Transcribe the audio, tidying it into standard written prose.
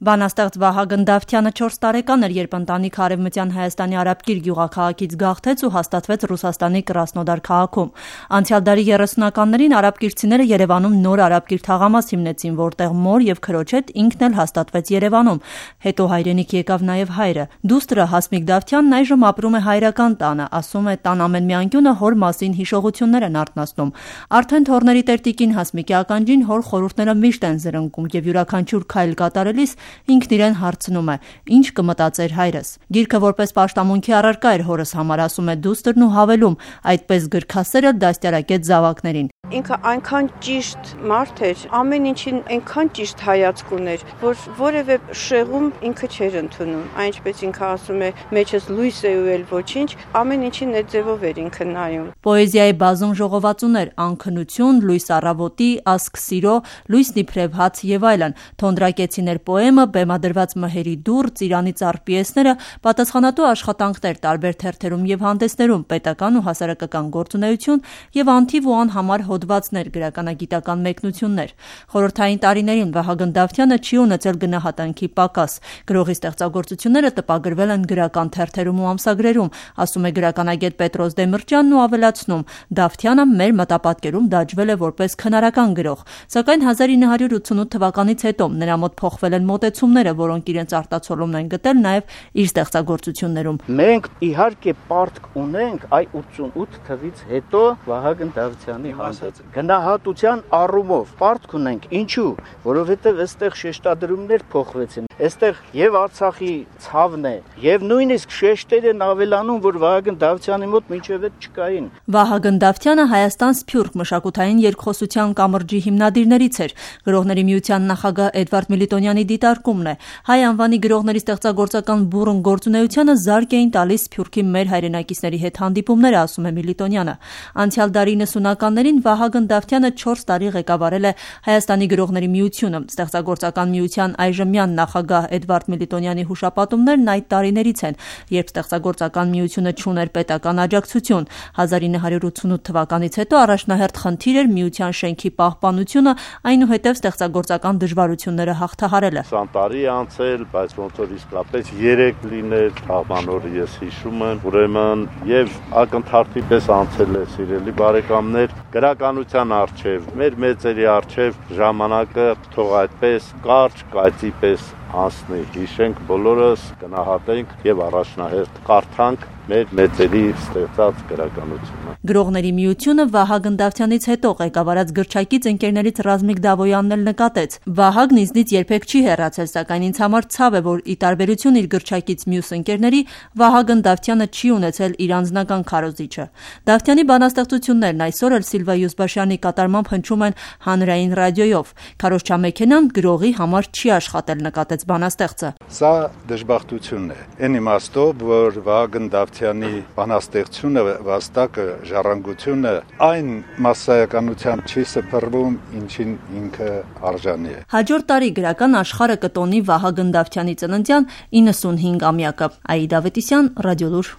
Բանաստեղծ Վահագն Դավթյանը 4 տարեկան էր, երբ ընտանիքը Արևմտյան Հայաստանի Արաբկիր գյուղաքաղաքից գաղթեց ու հաստատվեց Ռուսաստանի Կրասնոդար քաղաքում։ Անցյալ դարի 30-ականներին արաբկիրցիները Երևանում նոր արաբկիր թաղամաս հիմնեցին, որտեղ մոր եւ քրոջ հետ ինքն էլ հաստատվեց Երևանում։ Հետո հայրենիք եկավ նաեւ հայրը։ Դուստրը Հասմիկ Դավթյանն այժմ ապրում է հայրական տանը, ասում է, տան ամեն մի անկյունը հոր մասին հիշողություններ են արթնացնում։ Արդեն թորների տերտիկին Հասմիկի ականջին հոր խորհուրդները միշտ են զրնկում եւ յուրաքանչյուր քայլ կատարելիս ինքն իրեն հարցնում է, ինչ կմտածեր հայրս։ Գիրքը որպես պաշտամունքի առարկա էր հորս համար, ասում է դուստրն ու հավելում, այդպես գրքասերը դաստիարակեց զավակներին։ Ինքը այնքան ճիշտ մարդ էր, ամեն ինչին այնքան ճիշտ հայացք ուներ, որ որևէ շեղում ինքը չէր ընդունում։ Այնպես ինքը ասում է, մեջս լույս է ու էլ ոչինչ, ամեն ինչին այդ ձևով էր ինքը նայում։ Պոեզիայի բազում ժողովածուներ, անքնություն, լույս առավոտի, ասք սիրո, լույսն իբրև հաց եւ այլն, թոնդրակեցիներ պոեմը, բեմադրված մհերի դուռ, ծիրանի ծառ պիեսները, պատասխանատու աշխատանքներ տարբեր թերթերում եւ հանդեսներում, պետական ու հասարակական գործունեություն եւ անթիվ ու անհամար հոդվածներ, գրականագիտական մեկնություններ։ Խորհրդային տարիներին Վահագն Դավթյանը չի ունեցել գնահատանքի պակաս։ Գրողի ստեղծագործությունները տպագրվել են գրական թերթերում ու ամսագրերում, ասում է գրականագետ Պետրոս Դեմիրճյանն ու ավելացնում. Դավթյանը մեր մտապատկերում դաջվել է որպես քնարական գրող, սակայն 1988 թվականից հետո նրա մոտ փոխվել են մոտեցումները, որոնք իրենց արտացոլումն են գտել նաև իր ստեղծագործություններում։ Մենք իհարկե պարտք ունենք այ 88 թվից հետո Վահագն Դավթյանի հանդեպ գնահատության առումով պարտք ունենք, ինչու, որովհետև այստեղ շեշտադրումներ փոխվեցին, այստեղ եւ Արցախի ցավն է եւ նույնիսկ շեշտեր են ավելանում, որ Վահագն Դավթյանի մոտ մինչեւ այդ չկային։ Վահագն Դավթյանը Հայաստան Սփյուռք մշակութային երկխոսության կամրջի հիմնադիրներից էր։ Գրողների միության նախագահ Էդվարդ Միլիտոնյանի դիտարկումն է. հայ անվանի գրողների ստեղծագործական բուռն գործունեությանը զարկ էին տալիս Սփյուռքի մեր հայրենակիցների հետ հանդիպումները, ասում է Միլիտոնյանը։ Անցյալ դարի 90-ականներին Վահագն Դավթյանը 4 տարի ղեկավարել է Հայաստանի գրողների միությունը։ Ստեղծագործական միության այժմյան նախագահ Էդվարդ Միլիտոնյանի հուշապատումներն այդ տարիներից են, երբ ստեղծագործական միությունը չուներ պետական աջակցություն։ 1988 թվականից հետո առաջնահերթ խնդիր էր միության շենքի պահպանությունը, այնուհետև ստեղծագործական դժվարությունները հաղթահարելը։ 20 տարի անցել, բայց ոնց որ իսկապես 3 լինել, թաղմանորը ես հիշում եմ, ուրեմն եւ ակնթարթի պես անցել է, սիրելի բարեկամներ, գրականության արչեւ, մեր մեծերի արչեւ ժամանակը թող այդպես կարճ կայծի պես անցնի, հիշենք բոլորս, գնահատենք եւ առաջնահերթ կարդանք մեր մեծերի ստեղծած գրականությունը։ Գրողների միությունը Վահագն Դավթյանից հետո ղեկավարած գրչակից ընկերներից Ռազմիկ Դավոյանն էլ նկատեց. Վահագն ինձնից երբեք չի հեռացել, սակայն ինձ համար ցավ է, որ ի տարբերություն իր գրչակից մյուս ընկերների, Վահագն Դավթյանը չի ունեցել իր անձնական քարոզիչը։ Դավթյանի բանաստեղծություններն այսօր էլ Սիլվա Յուզբաշյանի կատարմամբ հնչում են հանրային ռադիոյով։ Քարոզչամեքենան գրողի համար չի աշխատել, նկատեց բանաստեղծը։ Սա դժբախտություն է։ Այն իմաստով, որ Վահագն Դավթյանի բանաստեղծությունը, վաստակը, ժառանգությունը այն մասսայականությամբ չի սփռվում, ինչին ինքը արժանի է։ Հաջորդ տարի գրական աշխարհը կտոնի Վահագն Դավթյանի ծննդյան 95-ամյակը։ Աիդա Ավետիսյան, Ռադիոլուր։